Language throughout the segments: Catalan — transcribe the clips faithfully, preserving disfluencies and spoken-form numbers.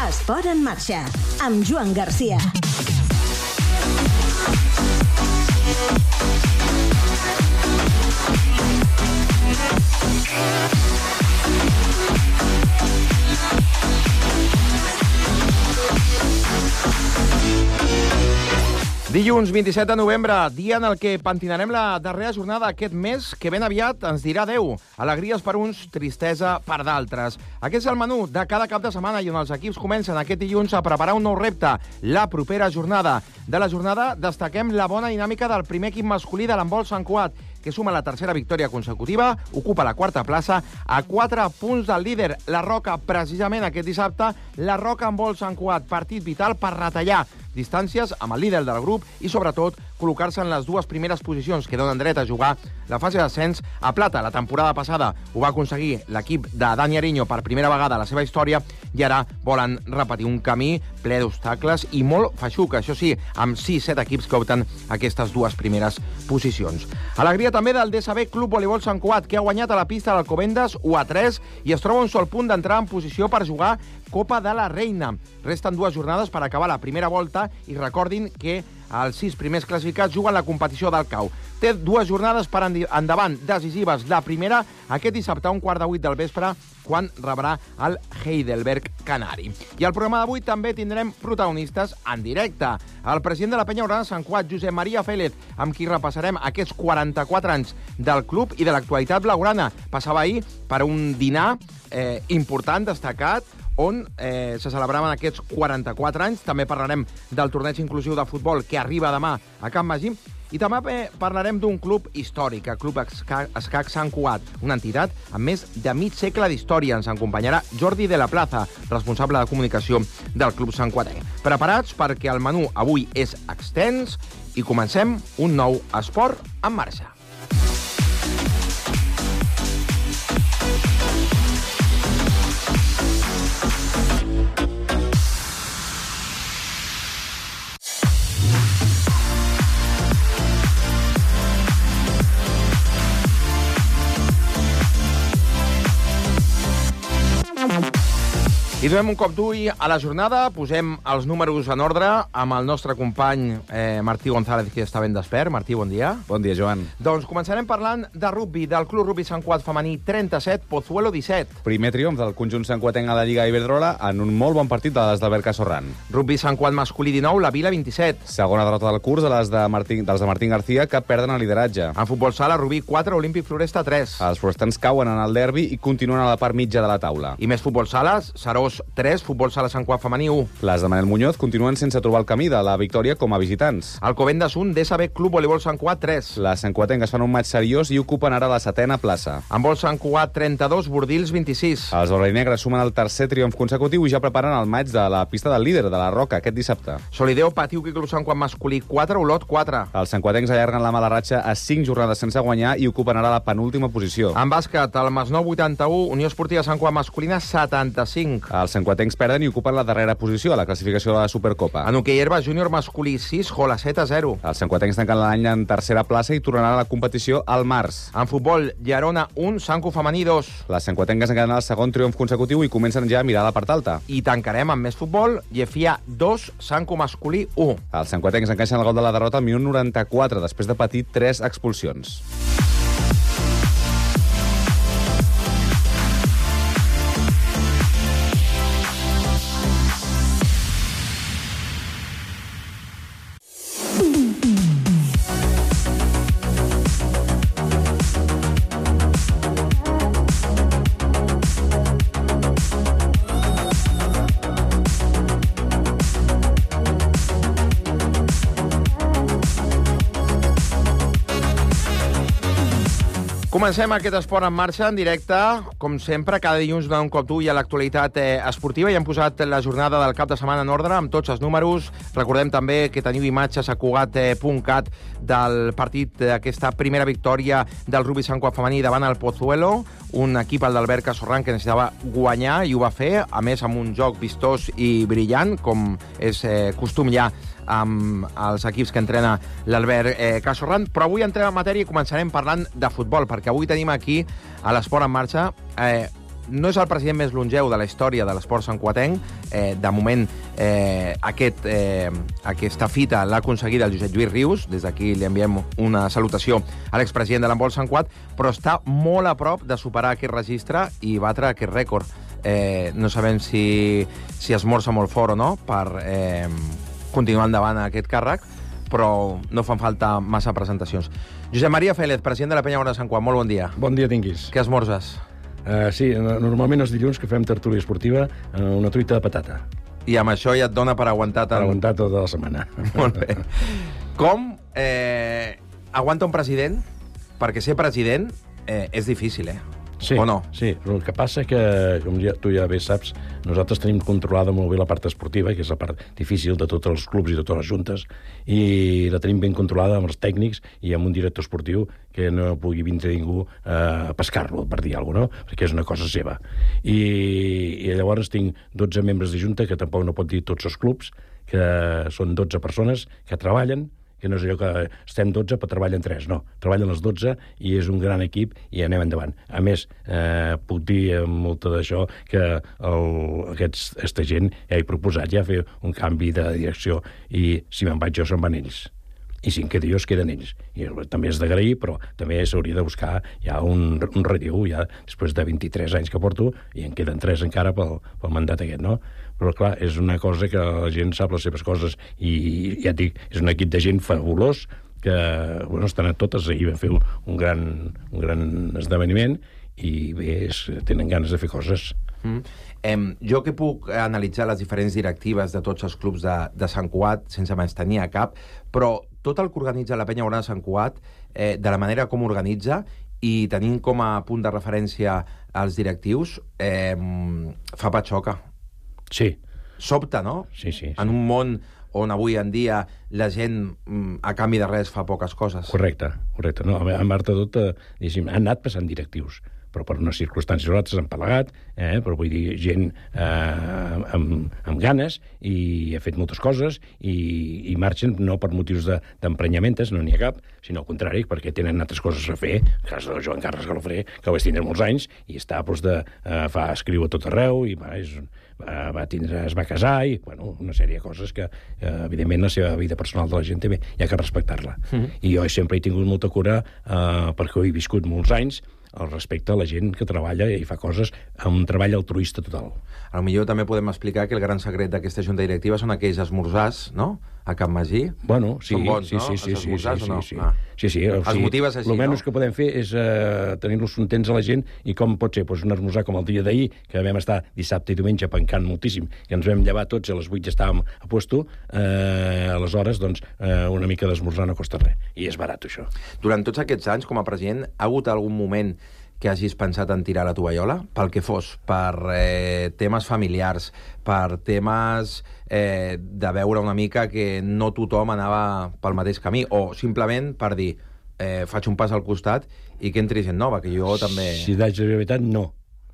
Esport en marxa, amb Joan Garcia. Dilluns vint-i-set de novembre, dia en el que pentinarem la darrera jornada d'aquest mes, que ben aviat ens dirà adeu. Alegries per uns, tristesa per d'altres. Aquest és el menú de cada cap de setmana i on els equips comencen aquest dilluns a preparar un nou repte, la propera jornada. De la jornada destaquem la bona dinàmica del primer equip masculí de l'handbol Sant Cugat, que suma la tercera victòria consecutiva, ocupa la quarta plaça a quatre punts del líder, la Roca. Precisament aquest dissabte, la Roca Handbol Sant Cugat, partit vital per retallar distàncies amb el líder del grup i, sobretot, col·locar-se en les dues primeres posicions que donen dret a jugar la fase d'ascens a plata. La temporada passada ho va aconseguir l'equip de Dani Ariño per primera vegada a la seva història i ara volen repetir un camí ple d'obstacles i molt feixuc, això sí, amb sis set equips que opten aquestes dues primeres posicions. Alegria també del D S B Club Voleibol Sant Cugat, que ha guanyat a la pista d'Alcobendas u a tres i es troba un sol punt d'entrar en posició per jugar Copa de la Reina. Resten dues jornades per acabar la primera volta i recordin que els sis primers classificats juguen la competició del cau. Té dues jornades per endavant decisives. La primera, aquest dissabte a un quart de vuit del vespre, quan rebrà el Heidelberg Canari. I al programa d'avui també tindrem protagonistes en directe. El president de la Penya Blaugrana Sant Cugat, Josep Maria Félez, amb qui repassarem aquests quaranta-quatre anys del club i de l'actualitat blaugrana. Passava ahir per un dinar eh, important, destacat, on eh, se celebraven aquests quaranta-quatre anys. També parlarem del torneig inclusiu de futbol que arriba demà a Can Magí. I també parlarem d'un club històric, el Club Escac Sant Cugat, una entitat amb més de mig segle d'història. Ens acompanyarà Jordi de la Plaza, responsable de comunicació del Club Sant Cuatenc. Preparats perquè el menú avui és extens i comencem un nou esport en marxa. I donem un cop d'ull a la jornada, posem els números en ordre amb el nostre company eh, Martí González, que està ben despert. Martí, bon dia. Bon dia, Joan. Doncs començarem parlant de rugby, del Club Rugby Sant Cugat femení trenta-set, Pozuelo disset. Primer triomf del conjunt santcuatenc a la Lliga Iberdrola en un molt bon partit de les d'Albert Casorran. Rugby Sant Cugat masculí dinou, la Vila vint-i-set. Segona derrota del curs de les de Martín, dels de Martín García, que perden el lideratge. En futbol sala, Rubí quatre, Olímpic Floresta tres. Els florestans cauen en el derbi i continuen a la part mitja de la taula. I més futbol sales, Serós tres, futbol sala Sant Cugat femení u. Les de Manel Muñoz continuen sense trobar el camí de la victòria com a visitants. Alcobendas un, D S B Club Voleibol Sant Cugat tres. Les santcuatenques fan un maig seriós i ocupen ara la setena plaça. Handbol Sant Cugat trenta-dos, Bordils vint-i-sis. Els blaugrana-negres sumen el tercer triomf consecutiu i ja preparen el maig de la pista del líder, de la Roca, aquest dissabte. Solideo patiu que Club Sant Cugat masculí quatre, Olot quatre. Els santcuatencs allarguen la mala ratxa a cinc jornades sense guanyar i ocupen ara la penúltima posició. En bàsquet, el Masnou vuitanta-u, Unió Esportiva Sant Cugat masculina setanta-cinc. Els santcuatencs perden i ocupen la darrera posició a la classificació de la Supercopa. En hoquei herba júnior masculí sis, Jolacet a zero. Els santcuatencs tanquen l'any en tercera plaça i tornaran a la competició al març. En futbol, Llerona un, Sanco femení dos. Les santcuatenques encara el segon triomf consecutiu i comencen ja a mirar la part alta. I tancarem amb més futbol, Llefia dos, Sanco masculí u. Els santcuatencs encaixen el gol de la derrota al minut noranta-quatre, després de patir tres expulsions. Comencem aquest esport en marxa, en directe. Com sempre, cada dilluns donem un cop d'ull a l'actualitat eh, esportiva i hem posat la jornada del cap de setmana en ordre amb tots els números. Recordem també que teniu imatges a cugat punt cat del partit d'aquesta primera victòria del Rugby Sant Cugat femení davant el Pozuelo, un equip, el d'Albert Casorran, que necessitava guanyar i ho va fer, a més amb un joc vistós i brillant, com és eh, costum ja amb els equips que entrena l'Albert eh, Casorran. Però avui entrem en matèria i començarem parlant de futbol, perquè avui tenim aquí, a l'Esport en Marxa, eh, no és el president més longeu de la història de l'esport santcuatenc. Eh, de moment, eh, aquest, eh, aquesta fita l'ha aconseguida el Josep Lluís Rius. Des d'aquí li enviem una salutació a l'expresident de l'handbol Sant Cuat, però està molt a prop de superar aquest registre i batre aquest rècord. Eh, no sabem si, si esmorza molt fort o no per eh, continuar endavant a aquest càrrec, però no fan falta massa presentacions. Josep Maria Félez, president de la Penya Guardiola de Sant Cuat, molt bon dia. Bon dia tinguis. Què esmorzes? Uh, sí, normalment els dilluns que fem tertúlia esportiva, uh, una truita de patata. I amb això ja et dona per aguantar... Per aguantar tota la setmana. Molt bé. Com eh, aguanta un president? Perquè ser president eh, és difícil, eh? Sí, o no? Sí, el que passa que, com ja, tu ja bé saps, nosaltres tenim controlada molt bé la part esportiva, que és la part difícil de tots els clubs i de totes les juntes, i la tenim ben controlada amb els tècnics i amb un director esportiu que no pugui vindre ningú a pescar-lo, per dir alguna cosa, no? Perquè és una cosa seva. I, i llavors tinc dotze membres de junta, que tampoc no pot dir tots els clubs, que són dotze persones que treballen, que no és allò que estem dotze però treballen tres, no. Treballen els dotze i és un gran equip i anem endavant. A més, eh, puc dir amb molta d'això que el, aquests, aquesta gent ja he proposat ja fer un canvi de direcció i si me'n vaig jo se'n van ells. I si em quedo jo es queden ells. I també és d'agrair, però també s'hauria de buscar ja un, un relleu, ja després de vint-i-tres anys que porto, i en queden tres encara pel, pel mandat aquest, no? Però, clar, és una cosa que la gent sap les seves coses i, ja et dic, és un equip de gent fabulós que, bueno, estan a totes, ahir vam fer un, un, gran, un gran esdeveniment i bé, és, tenen ganes de fer coses. Mm. Eh, jo que puc analitzar les diferents directives de tots els clubs de, de Sant Cuat, sense menystenir a cap, però tot el que organitza la Penya Guardiola de Sant Cuat, eh, de la manera com organitza i tenint com a punt de referència als directius, eh, fa patxoca. Sí. Sobta, no? Sí, sí, sí. En un món on avui en dia la gent, a canvi de res, fa poques coses. Correcte, correcte. No, a part de tot, eh, han anat passant directius, però per unes circumstàncies nosaltres han pelegat, eh, però vull dir, gent eh, amb, amb ganes i ha fet moltes coses i, i marxen no per motius d'emprenyamentes, de, no n'hi ha cap, sinó al contrari, perquè tenen altres coses a fer. El cas de Joan Carles Galofré, que ho vaig tindre molts anys, i està, doncs, de, eh, fa escriu a tot arreu, i va, és, va, va tindre, es va casar, i, bueno, una sèrie de coses que, eh, evidentment, la seva vida personal de la gent també hi ha que respectar-la. Mm-hmm. I jo sempre he tingut molta cura, eh, perquè ho he viscut molts anys, al respecte a la gent que treballa i fa coses amb un treball altruista total. A lo millor també podem explicar que el gran secret d'aquesta junta directiva són aquells esmorzars, no?, a Can Magí. Bueno, sí, són bons, sí, no? sí, sí, els esmorzars sí, o no? sí, sí. Ah. Sí, sí, o els sigui, motives així, el menys no? que podem fer és eh, tenir-los contents a la gent i com pot ser, doncs, un esmorzar com el dia d'ahir, que vam estar dissabte i diumenge pencant moltíssim, que ens vam llevar tots i a les vuit ja estàvem a puesto, eh, aleshores, doncs, eh, una mica d'esmorzar no costa res. I és barat, això. Durant tots aquests anys, com a president, ha hagut algun moment que hagis pensat en tirar la tovallola? Pel que fos, per eh, temes familiars, per temes eh, de veure una mica que no tothom anava pel mateix camí, o simplement per dir, eh, faig un pas al costat i que entri gent nova, que jo també... Si d'aig de veritat, no.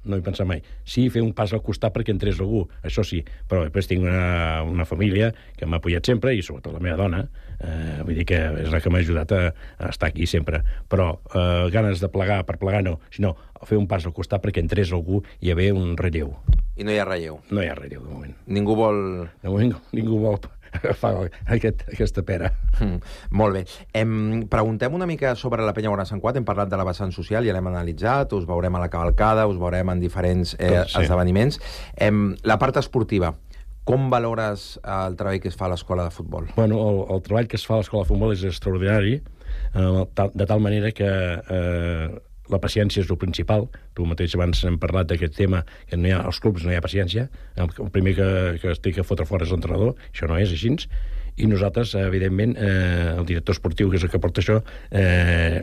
No hi pensa mai. Sí, fer un pas al costat perquè entrés algú, això sí, però després tinc una, una família que m'ha apoyat sempre, i sobretot la meva dona, eh, vull dir que és la que m'ha ajudat a, a estar aquí sempre, però eh, ganes de plegar per plegar no, sinó fer un pas al costat perquè entrés algú i hi haver un relleu. I no hi ha relleu? No hi ha relleu, de moment. Ningú vol... De moment ningú vol agafar aquest, aquesta pera. Mm, molt bé. Em, preguntem una mica sobre la Penya Guardiola de Sant Cuat. Hem parlat de la vessant social, ja l'hem analitzat, us veurem a la cavalcada, us veurem en diferents eh, Tot, sí. esdeveniments. Em, la part esportiva, com valores el treball que es fa a l'escola de futbol? Bueno, el, el treball que es fa a l'escola de futbol és extraordinari, eh, de tal manera que eh, la paciència és el principal. Tu mateix abans hem parlat d'aquest tema, que no hi ha, als clubs no hi ha paciència. El primer que, que es té que fotre fora és l'entrenador, això no és així. I nosaltres, evidentment, eh, el director esportiu, que és el que porta això, eh,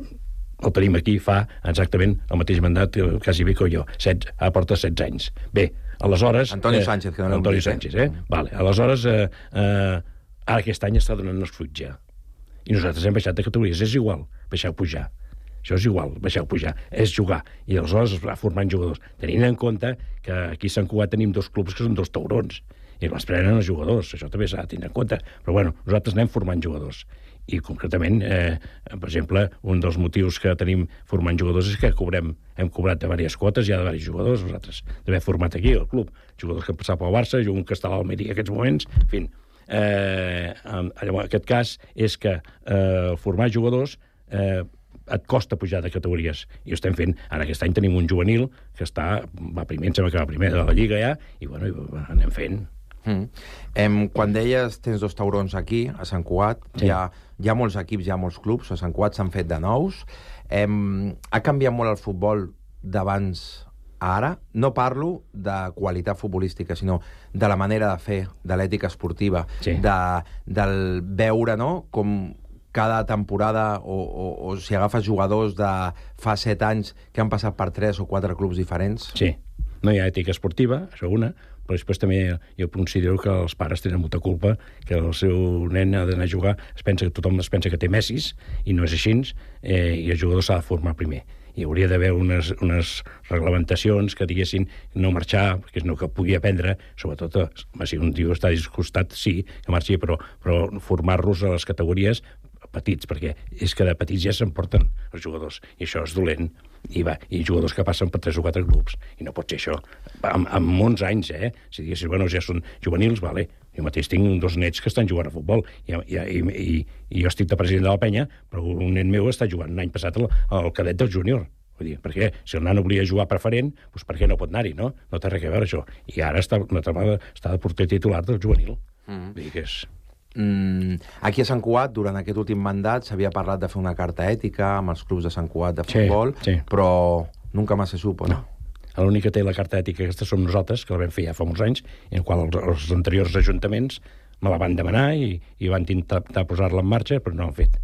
el tenim aquí, fa exactament el mateix mandat, quasi bé que jo. Set, ah, porta setze anys. Bé, aleshores... Antonio eh, Sánchez, que no l'hem Antonio dit, Sánchez, eh? Mm. Vale. Aleshores, eh, eh, ara aquest any està donant els fruits ja. I nosaltres hem baixat de categories. És igual, baixar o pujar. Això és igual, baixar o pujar, és jugar. I aleshores es va formant jugadors. Tenint en compte que aquí a Sant Cugat tenim dos clubs que són dos taurons. I les prenen els jugadors, això també s'ha de tenir en compte. Però bueno, nosaltres anem formant jugadors. I concretament, eh, per exemple, un dels motius que tenim formant jugadors és que cobrem, hem cobrat de diverses quotes ja de diversos jugadors, nosaltres d'haver format aquí al club, jugadors que han passat pel Barça, un que està a l'Almeria en aquests moments, en fi. Eh, en, en aquest cas és que eh, formar jugadors eh, et costa pujar de categories. I ho estem fent. Ara aquest any tenim un juvenil que està, va primer, em sembla que va primer de la Lliga ja, i bueno, i anem fent. Mm. Em, quan deies tens dos taurons aquí, a Sant Cugat, sí. hi, ha, hi ha molts equips, hi ha molts clubs, a Sant Cugat s'han fet de nous. Em, ha canviat molt el futbol d'abans a ara? No parlo de qualitat futbolística, sinó de la manera de fer, de l'ètica esportiva, sí. de, del veure, no?, com cada temporada, o, o, o si agafes jugadors de fa set anys que han passat per tres o quatre clubs diferents. Sí, no hi ha ètica esportiva, això una, però després també jo considero que els pares tenen molta culpa, que el seu nen ha d'anar a jugar, es pensa que tothom es pensa que té Messis, i no és així, eh, i el jugador s'ha de formar primer. Hi hauria d'haver unes, unes reglamentacions que diguessin no marxar, que és no que pugui aprendre, sobretot si un tio està disgustat, sí, que marxi, però, però formar-los a les categories petits, perquè és que de petits ja s'emporten els jugadors, i això és dolent, i va, i jugadors que passen per tres o quatre grups, i no pot ser això. Amb, amb molts anys, eh? Si diguessis, bueno, ja són juvenils, vale, jo mateix tinc dos nets que estan jugant a futbol, i, i, i, i jo estic de president de la penya, però un net meu està jugant l'any passat al, al cadet del júnior. Vull dir, perquè si el nano volia jugar preferent, doncs per què no pot anar-hi, no? No té res a veure això. I ara està, una trama, està de porter titular del juvenil. Mm. Vull dir que és... Mm, aquí a Sant Cugat, durant aquest últim mandat, s'havia parlat de fer una carta ètica amb els clubs de Sant Cugat de futbol, sí, sí. però nunca más se supo, no? no. L'únic que té la carta ètica aquesta som nosaltres, que la vam fer ja fa molts anys, en el qual els, els anteriors ajuntaments me la van demanar i, i van intentar posar-la en marxa, però no ho han fet.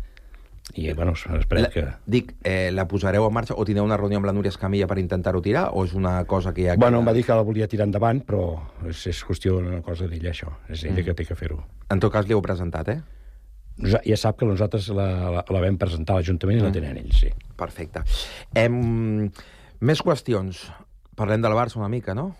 I, bueno, esperem que... Dic, eh, la posareu en marxa o tindreu una reunió amb la Núria Escamilla per intentar-ho tirar, o és una cosa que ja... Bueno, em va dir que la volia tirar endavant, però és, és qüestió d'una cosa d'ella, això. És ella mm. que té que fer-ho. En tot cas, li heu presentat, eh? Ja sap que nosaltres la, la, la vam presentar a l'Ajuntament i mm. la tenen ells, sí. Perfecte. Em... Més qüestions. Parlem del Barça una mica, no?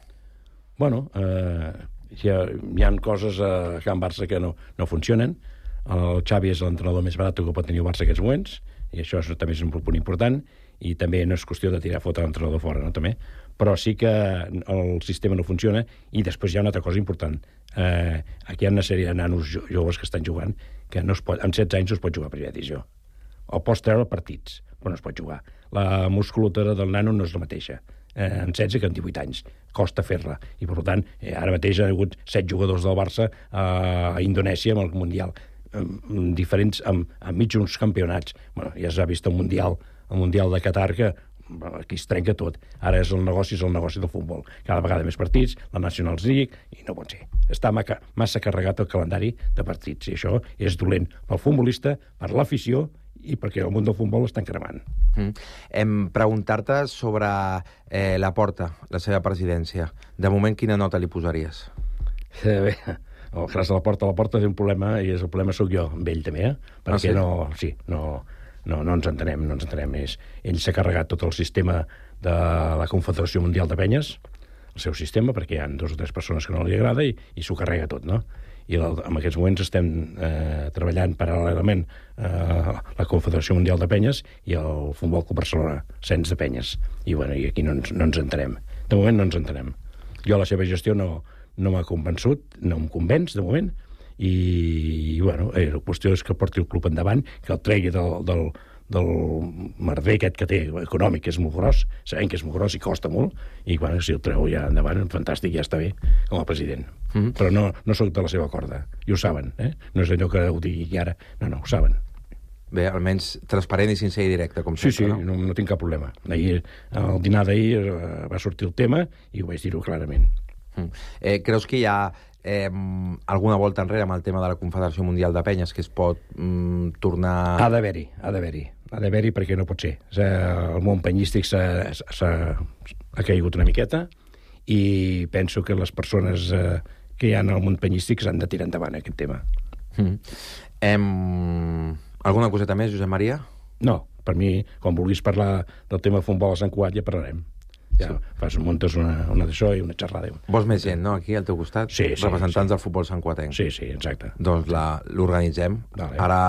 Bueno, eh, hi, ha, hi ha coses a Can Barça que no, no funcionen. El Xavi és l'entrenador més barat que pot tenir el Barça en aquests moments, i això és, també és un punt important, i també no és qüestió de tirar fotre l'entrenador fora, no, també. Però sí que el sistema no funciona, i després hi ha una altra cosa important. Eh, aquí hi ha una sèrie de nanos jo joves que estan jugant, que no es pot, amb setze anys no es pot jugar a primera divisió. El pots treure partits, però no es pot jugar. La musculatura del nano no és la mateixa. Eh, en setze que en divuit anys. Costa fer-la. I, per tant, eh, ara mateix ha hagut set jugadors del Barça a Indonèsia amb el Mundial. Diferents, amb, amb mig uns campionats. Bueno, ja s'ha vist el Mundial, el Mundial de Qatar, que aquí es trenca tot. Ara és el negoci, és el negoci del futbol. Cada vegada més partits, la Nationals League, i no pot ser. Està massa carregat el calendari de partits, i això és dolent pel futbolista, per l'afició, i perquè el món del futbol està cremant. Mm. Em preguntar-te sobre eh, la Porta, la seva presidència. De moment, quina nota li posaries? Eh, bé... El Gras de la Porta, la Porta té un problema, i és el problema sóc jo, amb ell també, eh? Perquè ah, sí? no, sí, no, no, no ens entenem, no ens entenem. És, ell s'ha carregat tot el sistema de la Confederació Mundial de Penyes, el seu sistema, perquè hi ha dues o tres persones que no li agrada, i, i s'ho carrega tot, no? I el, en aquests moments estem eh, treballant paral·lelament eh, la Confederació Mundial de Penyes i el Futbol Club Barcelona, cens de penyes. I, bueno, i aquí no ens, no ens entenem. De moment no ens entenem. Jo la seva gestió no... no m'ha convençut, no em convenç de moment, i, i bueno, eh, la qüestió és que porti el club endavant, que el tregui del, del, del merder aquest que té econòmic, que és molt gros, sabem que és molt gros i costa molt, i bueno, si el treu ja endavant, fantàstic, ja està bé, com a president. Mm-hmm. Però no, no soc de la seva corda, i ho saben, eh? No és allò que ho digui ara, no, no, ho saben. Bé, almenys transparent i sincer i directe, com sí, sempre, sí, no? Sí, no, no tinc cap problema. Ahir, al dinar d'ahir eh, va sortir el tema i ho vaig dir-ho clarament. Mm. Eh, creus que hi ha eh, alguna volta enrere amb el tema de la Confederació Mundial de Penyes que es pot mm, tornar... Ha d'haver-hi, ha d'haver-hi. Ha d'haver-hi perquè no pot ser. O sigui, el món penyístic s'ha, s'ha, ha caigut una miqueta, i penso que les persones eh, que hi ha en el món penyístic s'han de tirar endavant aquest tema. Mm. Em... Alguna coseta més, Josep Maria? No, per mi, quan vulguis parlar del tema de futbol a Sant Cugat, ja parlarem. ja fas, muntes una, una d'això i una xerrada. Vols més gent, no?, aquí al teu costat? Sí, sí. Representants sí. del futbol santcuatenc. Sí, sí, exacte. Doncs l'organitzem. Vale. Ara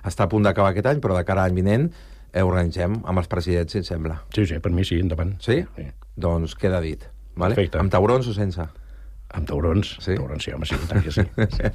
està a punt d'acabar aquest any, però de cara a l'any vinent eh, organitzem amb els presidents, si et sembla. Sí, sí, per mi sí, endavant. Sí? sí. Doncs queda dit. Vale? Perfecte. Amb taurons o sense? Amb taurons. Sí? Taurons, sí, home, sí, tant que sí. sí.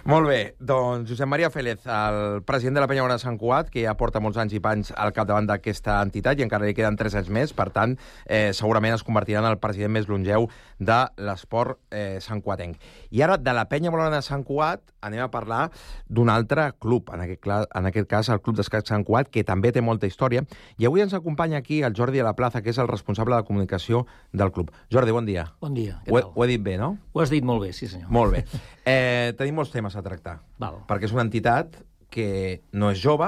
Molt bé, doncs Josep Maria Félez, el president de la Penya Bona de Sant Cugat, que ja porta molts anys i panys al capdavant d'aquesta entitat i encara li queden tres anys més, per tant, eh, segurament es convertirà en el president més longeu de l'esport eh, santcuatenc. I ara, de la Penya Bona de Sant Cugat, anem a parlar d'un altre club, en aquest, en aquest cas el Club d'Escacs Sant Cugat, que també té molta història, i avui ens acompanya aquí el Jordi de la Plaza, que és el responsable de comunicació del club. Jordi, bon dia. Bon dia, què Ho he, tal? ho he dit bé, no? Ho has dit molt bé, sí senyor. Molt bé. Eh, tenim molts temes a tractar. Val. Perquè és una entitat que no és jove,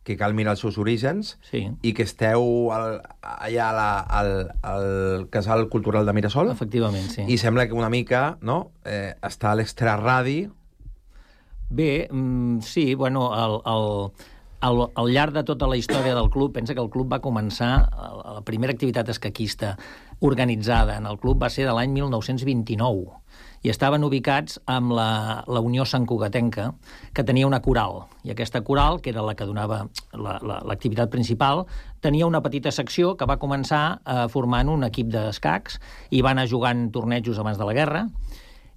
que cal mirar els seus orígens, Sí. i que esteu al, allà a la, al, al Casal Cultural de Mirasol. Efectivament, sí. I sembla que una mica, no?, eh, està a l'extraradi. Bé, mm, sí, bueno, el, el, al, al llarg de tota la història del club, pensa que el club va començar, la primera activitat escaquista organitzada en el club va ser de l'any mil nou-cents vint-i-nou, i estaven ubicats amb la, la Unió Santcugatenca, que tenia una coral, i aquesta coral, que era la que donava l'activitat la, la, principal, tenia una petita secció que va començar eh, formant un equip d'escacs, i va anar jugant tornejos abans de la guerra,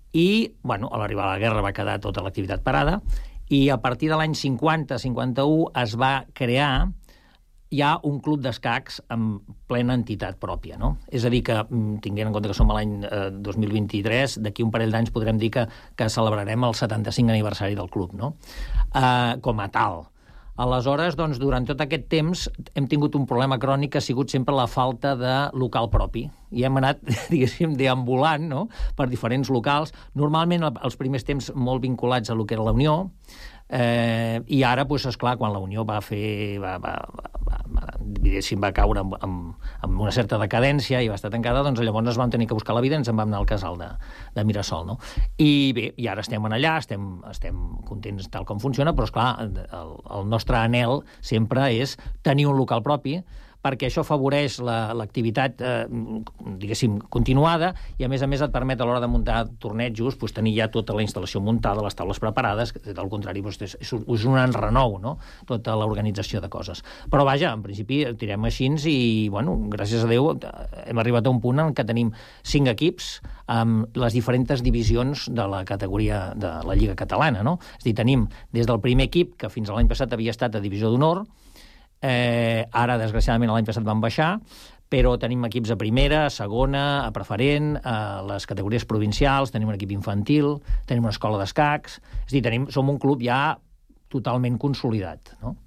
i, bueno, a l'arribar a la guerra va quedar tota l'activitat parada, i a partir de l'any cinquanta cinquanta-u es va crear ja un club d'escacs amb plena entitat pròpia, no? És a dir, que, tinguent en compte que som a l'any eh, dos mil vint-i-tres, d'aquí un parell d'anys podrem dir que, que celebrarem el setanta-cinc aniversari del club, no? Eh, com a tal. Aleshores, doncs, durant tot aquest temps hem tingut un problema crònic que ha sigut sempre la falta de local propi. I hem anat, diguéssim, deambulant, no?, per diferents locals, normalment els primers temps molt vinculats a lo que era la Unió, eh, i ara, doncs, esclar, quan la Unió va fer, va, va, va, va, diguéssim, va caure amb, amb, amb una certa decadència i va estar tancada, doncs llavors ens vam tenir que buscar la vida i ens en vam anar al casal de, de Mirasol, no? I bé, i ara estem en allà, estem, estem contents tal com funciona, però, esclar, el, el nostre anhel sempre és tenir un local propi, perquè això afavoreix l'activitat, la, eh, diguéssim, continuada, i a més a més et permet a l'hora de muntar tornejos doncs, tenir ja tota la instal·lació muntada, les taules preparades, que al contrari doncs, és, és un enrenou, no?, tota l'organització de coses. Però vaja, en principi tirem així i, bueno, gràcies a Déu hem arribat a un punt en què tenim cinc equips amb les diferents divisions de la categoria de la Lliga Catalana, no? És a dir, tenim des del primer equip, que fins a l'any passat havia estat a Divisió d'Honor, Eh, ara, desgraciadament, l'any passat van baixar, però tenim equips a primera, a segona, a preferent, a les categories provincials, tenim un equip infantil, tenim una escola d'escacs, és a dir, tenim, som un club ja totalment consolidat, no?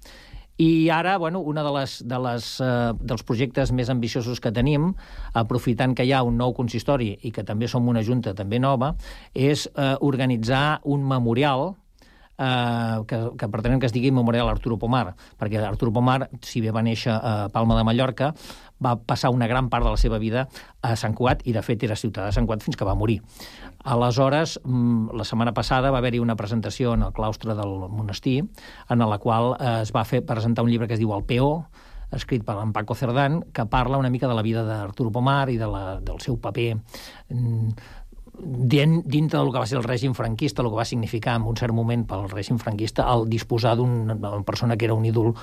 I ara, bueno, una de les, de les, eh, dels projectes més ambiciosos que tenim, aprofitant que hi ha un nou consistori i que també som una junta també nova, és eh, organitzar un memorial Uh, que, que pretenem que es digui Memorial Arturo Pomar, perquè Arturo Pomar, si bé va néixer a Palma de Mallorca, va passar una gran part de la seva vida a Sant Cugat i, de fet, era ciutadà de Sant Cugat fins que va morir. Aleshores, la setmana passada va haver-hi una presentació en el claustre del monestir, en la qual es va fer presentar un llibre que es diu El Peó, escrit per en Paco Cerdán, que parla una mica de la vida d'Arturo Pomar i de la, del seu paper dintre del que va ser el règim franquista, el que va significar en un cert moment pel règim franquista el disposar d'una persona que era un ídol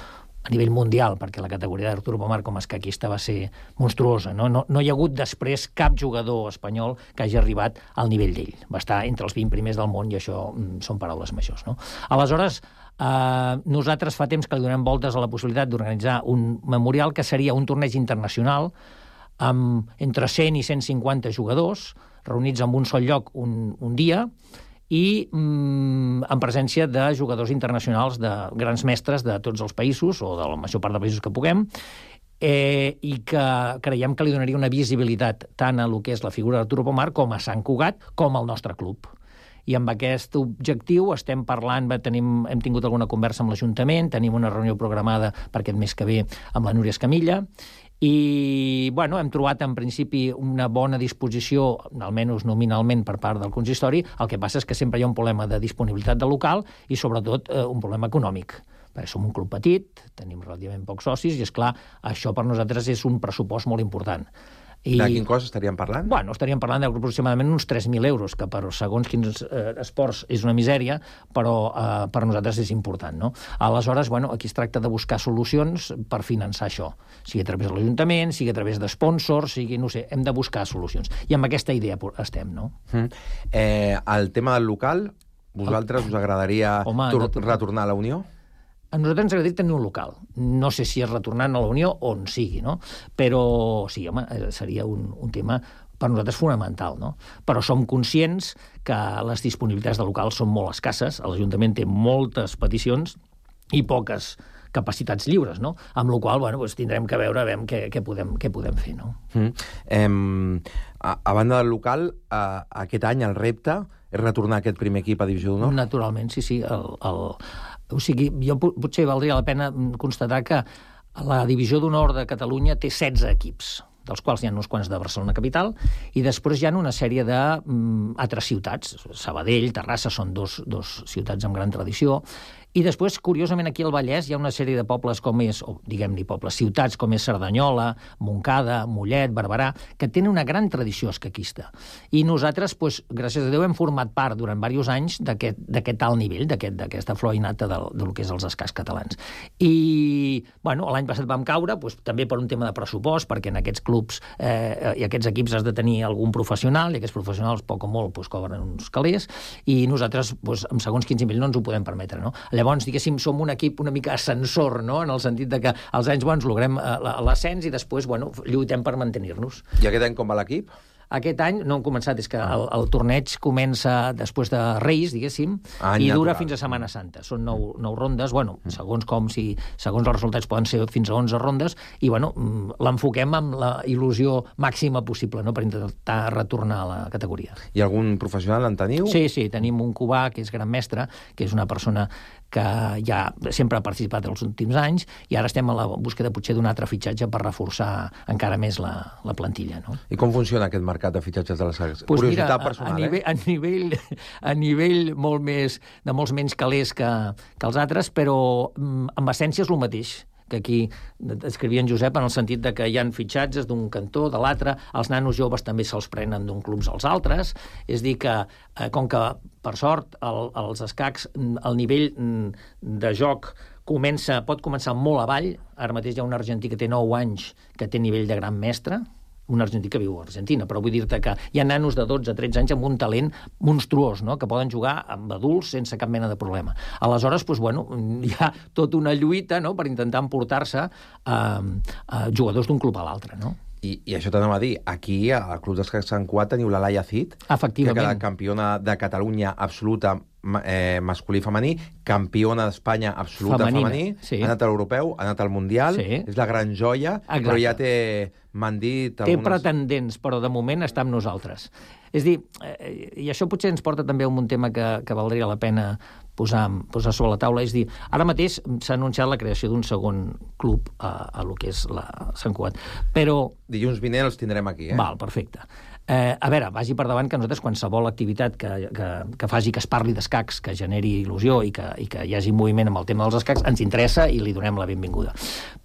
a nivell mundial, perquè la categoria d'Arturo Pomar com a escaquista va ser monstruosa. No, no, no hi ha hagut després cap jugador espanyol que hagi arribat al nivell d'ell. Va estar entre els vint primers del món i això mm, són paraules majors, no? Aleshores, eh, nosaltres fa temps que li donem voltes a la possibilitat d'organitzar un memorial que seria un torneig internacional amb entre cent i cent cinquanta jugadors reunits en un sol lloc un, un dia i mm, en presència de jugadors internacionals, de grans mestres de tots els països, o de la major part de països que puguem, eh, i que creiem que li donaria una visibilitat tant a lo que és la figura d'Arturo Pomar com a Sant Cugat, com al nostre club. I amb aquest objectiu estem parlant, tenim, hem tingut alguna conversa amb l'Ajuntament, tenim una reunió programada per aquest mes que ve amb la Núria Escamilla, i bueno, hem trobat en principi una bona disposició, almenys nominalment per part del consistori. El que passa és que sempre hi ha un problema de disponibilitat de local i sobretot eh, un problema econòmic, perquè som un club petit, tenim relativament pocs socis, i, és clar, això per nosaltres és un pressupost molt important. I... De quin cost estaríem parlant? Bueno, estaríem parlant d'aproximadament uns tres mil euros, que per segons quins eh, esports és una misèria, però eh, per nosaltres és important, no? Aleshores, bueno, aquí es tracta de buscar solucions per finançar això, sigui a través de l'Ajuntament, sigui a través de sponsors, sigui, no sé, hem de buscar solucions. I amb aquesta idea estem, no? Mm. Eh, el tema del local, vosaltres us agradaria Home, tor- retornar a la Unió? A nosaltres ens agradaria tenir un local. No sé si és retornant a la Unió o on sigui, no? Però sí, home, seria un, un tema per nosaltres fonamental, no? Però som conscients que les disponibilitats de local són molt escasses, l'Ajuntament té moltes peticions i poques capacitats lliures, no? Amb la qual cosa, bueno, doncs tindrem que veure veure què, què, podem, què podem fer, no? Mm. Eh, a, a banda del local, eh, aquest any el repte és retornar aquest primer equip a Divisió d'Honor? Naturalment, sí, sí. El, el, o sigui, jo potser valdria la pena constatar que la Divisió d'Honor de Catalunya té setze equips, dels quals hi ha uns quants de Barcelona capital, i després hi ha una sèrie d'altres ciutats. Sabadell, Terrassa, són dos, dos ciutats amb gran tradició. I després, curiosament, aquí al Vallès hi ha una sèrie de pobles com és, o diguem-ne pobles, ciutats com és Cerdanyola, Montcada, Mollet, Barberà, que tenen una gran tradició escaquista. I nosaltres, doncs, gràcies a Déu, hem format part durant diversos anys d'aquest alt nivell, d'aquesta flor innata del, del que és els escacs catalans. I, bueno, l'any passat vam caure, doncs, també per un tema de pressupost, perquè en aquests clubs eh, i aquests equips has de tenir algun professional, i aquests professionals, poc o molt, doncs, cobren uns calés, i nosaltres, doncs, amb segons quinze mil no ens ho podem permetre, no? Llavors, diguéssim, som un equip una mica ascensor, no?, en el sentit de que als anys bons logrem l'ascens i després, bueno, lluitem per mantenir-nos. I aquest any com va l'equip? Aquest any no hem començat, és que el, el torneig comença després de Reis, diguéssim, Any i dura natural. fins a Setmana Santa. Són nou, nou rondes, bueno, segons com, si, segons els resultats poden ser fins a onze rondes, i bueno, l'enfoquem amb la il·lusió màxima possible, no?, per intentar retornar a la categoria. I algun professional en teniu? Sí, sí, tenim un cubà que és gran mestre, que és una persona que ja sempre ha participat els últims anys, i ara estem a la búsqueda potser d'un altre fitxatge per reforçar encara més la, la plantilla, no? I com funciona aquest mercat de fitxatges de les sacs? Pues Curiositat mira, personal, a, a nivell, eh? A nivell, a nivell molt més, de molts menys calés que, que els altres, però amb essència és el mateix que aquí escrivia en Josep, en el sentit de que hi ha fitxatges d'un cantó, de l'altre, els nanos joves també se'ls prenen d'un clubs als altres, és dir que, eh, com que, per sort, el, els escacs, el nivell de joc comença, pot començar molt avall, ara mateix hi ha un argentí que té nou anys que té nivell de gran mestre, un argentí que viu a Argentina, però vull dir-te que hi ha nanos de dotze a tretze anys amb un talent monstruós, no?, que poden jugar amb adults sense cap mena de problema. Aleshores, doncs, bueno, hi ha tota una lluita, no?, per intentar emportar-se a, a jugadors d'un club a l'altre, no? I, I això t'anava a dir, aquí al Club d'Escacs Sant Cugat teniu la Laia Cid, efectivament, que queda campiona de Catalunya absoluta eh, masculí i femení, campiona d'Espanya absoluta Femenina, femení, sí. ha anat a l'Europeu, ha anat al Mundial, sí. és la gran joia, exacte. Però ja té, m'han dit... Té algunes... pretendents, però de moment està amb nosaltres. És dir, eh, i això potser ens porta també a un tema que, que valdria la pena posar, posar sobre la taula, és dir, ara mateix s'ha anunciat la creació d'un segon club a, a lo que és la Sant Cugat, però... Dilluns vinent els tindrem aquí, eh? Val, perfecte. Eh, a veure, vagi per davant que nosaltres qualsevol activitat que, que, que faci que es parli d'escacs, que generi il·lusió i que, i que hi hagi moviment amb el tema dels escacs, ens interessa i li donem la benvinguda.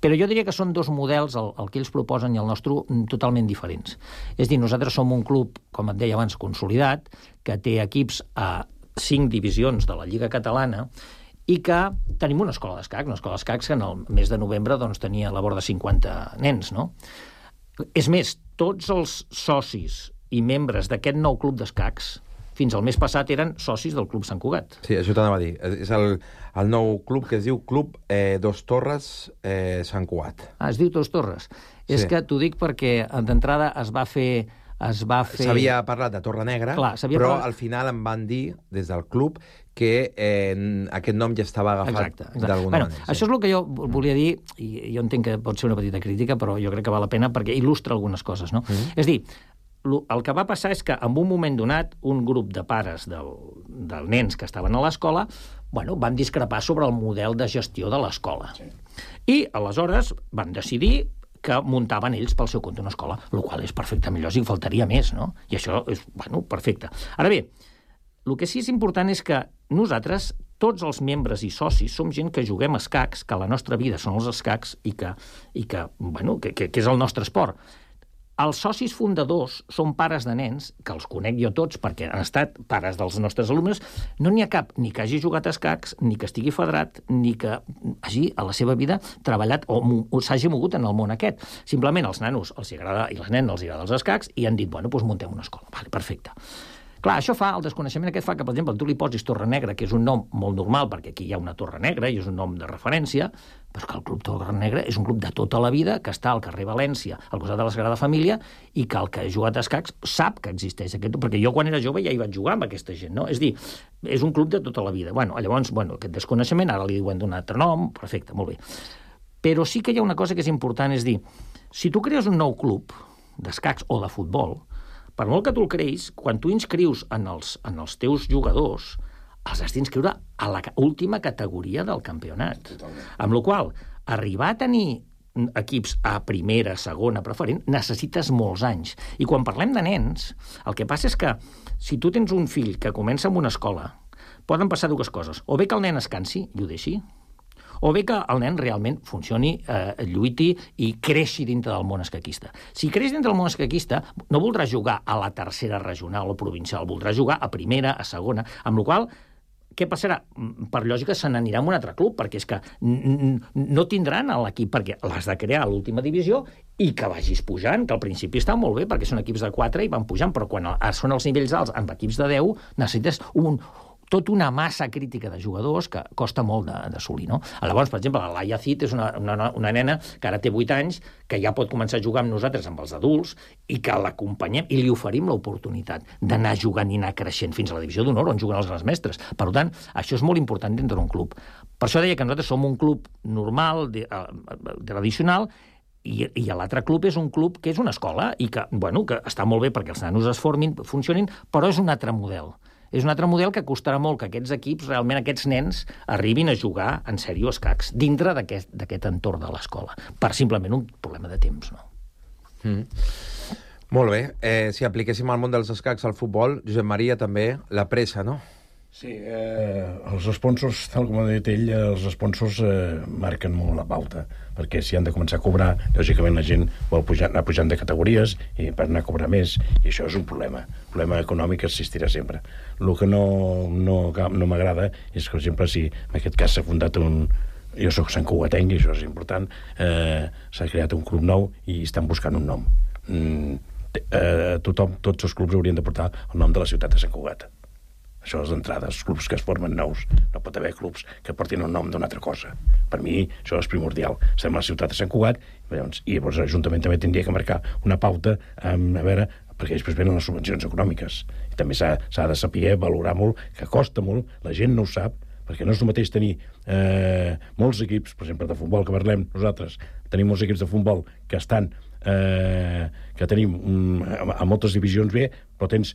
Però jo diria que són dos models, el, el que ells proposen i el nostre, totalment diferents. És dir, nosaltres som un club, com et deia abans, consolidat, que té equips a cinc divisions de la Lliga Catalana i que tenim una escola d'escacs, una escola d'escacs que en el mes de novembre doncs, tenia a la vora de cinquanta nens, no? És més, tots els socis i membres d'aquest nou club d'escacs fins al mes passat eren socis del Club Sant Cugat. Sí, això t'anava a dir. És el, el nou club que es diu Club eh, Dos Torres eh, Sant Cugat. Ah, es diu Dos Torres. Sí. És que t'ho dic perquè d'entrada es va fer... Es va fer... S'havia parlat de Torre Negra, Clar, però parlat... al final em van dir, des del club, que eh, aquest nom ja estava agafat d'alguna bueno, manera. Sí. Això és el que jo volia dir, i jo entenc que pot ser una petita crítica, però jo crec que val la pena perquè il·lustra algunes coses, no? Mm-hmm. És dir, el que va passar és que en un moment donat un grup de pares del, dels nens que estaven a l'escola, bueno, van discrepar sobre el model de gestió de l'escola. Sí. I aleshores van decidir que muntaven ells pel seu compte una escola, el qual és perfectament lògic, faltaria més, no? I això és, bueno, perfecte. Ara bé, el que sí és important és que nosaltres tots els membres i socis som gent que juguem a escacs, que la nostra vida són els escacs i que, i que, bueno, que, que, que és el nostre esport. Els socis fundadors són pares de nens, que els conec jo tots perquè han estat pares dels nostres alumnes. No n'hi ha cap ni que hagi jugat a escacs, ni que estigui federat, ni que hagi a la seva vida treballat o, o s'hagi mogut en el món aquest. Simplement els nanos els agrada, i les nenes els agrada els escacs i han dit, bueno, doncs muntem una escola. Vale, perfecte. Clar, això fa, el desconeixement aquest fa que, per exemple, tu li posis Torre Negra, que és un nom molt normal, perquè aquí hi ha una Torre Negra i és un nom de referència, però que el Club Torre Negra és un club de tota la vida que està al carrer València, al costat de la Sagrada Família, i que el que ha jugat a escacs sap que existeix aquest... Perquè jo, quan era jove, ja hi vaig jugar amb aquesta gent, no? És dir, és un club de tota la vida. Bueno, llavors, bueno, aquest desconeixement, ara li diuen d'un altre nom, perfecte, molt bé. Però sí que hi ha una cosa que és important, és dir, si tu crees un nou club d'escacs o de futbol, per molt que tu el creïs, quan tu inscrius en els, en els teus jugadors, els has d'inscriure a la última categoria del campionat. Totalment. Amb la qual cosa, arribar a tenir equips a primera, segona, preferent, necessites molts anys. I quan parlem de nens, el que passa és que si tu tens un fill que comença en una escola, poden passar dues coses. O bé que el nen es cansi i ho deixi, o bé que el nen realment funcioni, eh, lluiti i creixi dintre del món escaquista. Si creix dintre del món escaquista, no voldrà jugar a la tercera regional o provincial, voldrà jugar a primera, a segona, amb la qual cosa, què passarà? Per lògica se n'anirà a un altre club, perquè és que no tindran l'equip, perquè l'has de crear a l'última divisió i que vagis pujant, que al principi està molt bé, perquè són equips de quatre i van pujant, però quan són els nivells alts amb equips de deu, necessites un... tota una massa crítica de jugadors que costa molt d'assolir, no? Llavors, per exemple, la Laia Cid és una, una, una nena que ara té vuit anys, que ja pot començar a jugar amb nosaltres, amb els adults, i que l'acompanyem i li oferim l'oportunitat d'anar jugant i anar creixent fins a la divisió d'honor, on juguen els grans mestres. Per tant, això és molt important dintre d'un club. Per això deia que nosaltres som un club normal, de, uh, tradicional, i, i l'altre club és un club que és una escola i que, bueno, que està molt bé perquè els nanos es formin, funcionin, però és un altre model. És un altre model que costarà molt que aquests equips, realment aquests nens, arribin a jugar en sèrio escacs dintre d'aquest entorn de l'escola, per simplement un problema de temps, no? Mm. Molt bé. Eh, si apliquéssim al món dels escacs al futbol, Josep Maria, també, la pressa, no? Sí, eh, els sponsors, tal com ha dit ell, els sponsors eh, marquen molt la pauta, perquè si han de començar a cobrar, lògicament la gent vol pujar, anar pujant de categories i per anar a cobrar més, i això és un problema. El problema econòmic existirà sempre. El que no, no, no m'agrada és que, per exemple, si en aquest cas s'ha fundat un... Jo soc Sant Cugatenc, i això és important, eh, s'ha creat un club nou i estan buscant un nom. Mm, eh, tothom, tots els clubs haurien de portar el nom de la ciutat de Sant Cugat. Això és d'entrada, els clubs que es formen nous. No pot haver clubs que portin el nom d'una altra cosa. Per mi, això és primordial. Estem a la ciutat de Sant Cugat, i llavors l'Ajuntament també tindria que marcar una pauta, um, a veure, perquè després venen les subvencions econòmiques. I també s'ha de saber valorar molt, que costa molt, la gent no ho sap, perquè no és el mateix tenir eh, molts equips, per exemple, de futbol, que parlem nosaltres, tenim molts equips de futbol que estan, eh, que tenim um, a, a moltes divisions bé, però tens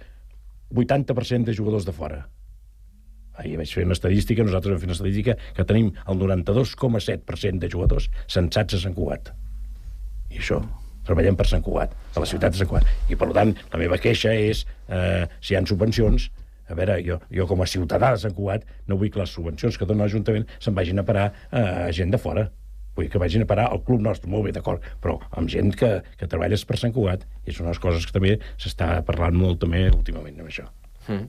vuitanta per cent de jugadors de fora. Ahir vaig fer una estadística, nosaltres vam fer una estadística que tenim el noranta-dos coma set per cent de jugadors censats a Sant Cugat. I això, treballem per Sant Cugat, a la ciutat de Sant Cugat. I, per tant, la meva queixa és, eh, si hi ha subvencions, a veure, jo, jo com a ciutadà de Sant Cugat no vull que les subvencions que dona l'Ajuntament se'n vagin a parar a gent de fora. Vull que vagin a parar al club nostre, molt bé, d'acord, però amb gent que, que treballes per Sant Cugat, i són unes coses que també s'està parlant molt també últimament amb això. Mm.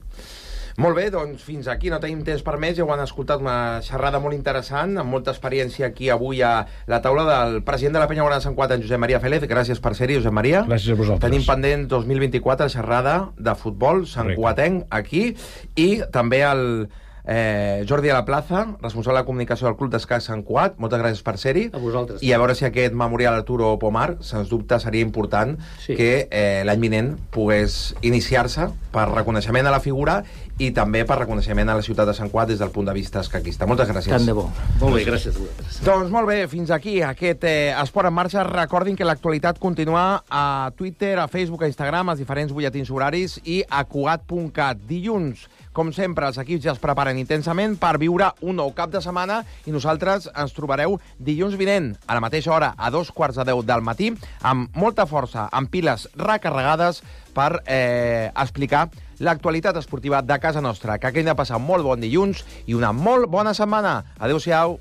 Molt bé, doncs fins aquí, no tenim temps per més, ja ho han escoltat, una xerrada molt interessant, amb molta experiència aquí avui a la taula del president de la Penya Guarda de Sant Cugat, en Josep Maria Félez. Gràcies per ser-hi, Josep Maria. Gràcies a vosaltres. Tenim pendent dos mil vint-i-quatre xerrada de futbol Sant Cugatenc aquí, i també el Eh, Jordi a la Plaza, responsable de comunicació del Club d'Escacs Sant Cugat. Moltes gràcies per ser-hi. A vosaltres. I a veure si aquest memorial Arturo Pomar, sens dubte seria important, sí, que eh, l'any vinent pogués iniciar-se per reconeixement a la figura i també per reconeixement a la ciutat de Sant Cugat des del punt de vista escaquista. Moltes gràcies. Tant de bo. Molt bé, gràcies a vosaltres. Doncs molt bé, fins aquí aquest eh, Esport en Marxa. Recordin que l'actualitat continua a Twitter, a Facebook, a Instagram, als diferents butlletins horaris i a cugat punt cat. Dilluns, com sempre, els equips ja es preparen intensament per viure un nou cap de setmana i nosaltres ens trobareu dilluns vinent, a la mateixa hora, a dos quarts de deu del matí, amb molta força, amb piles recarregades per eh, explicar l'actualitat esportiva de casa nostra. Que hagin de passar un molt bon dilluns i una molt bona setmana. Adéu-siau.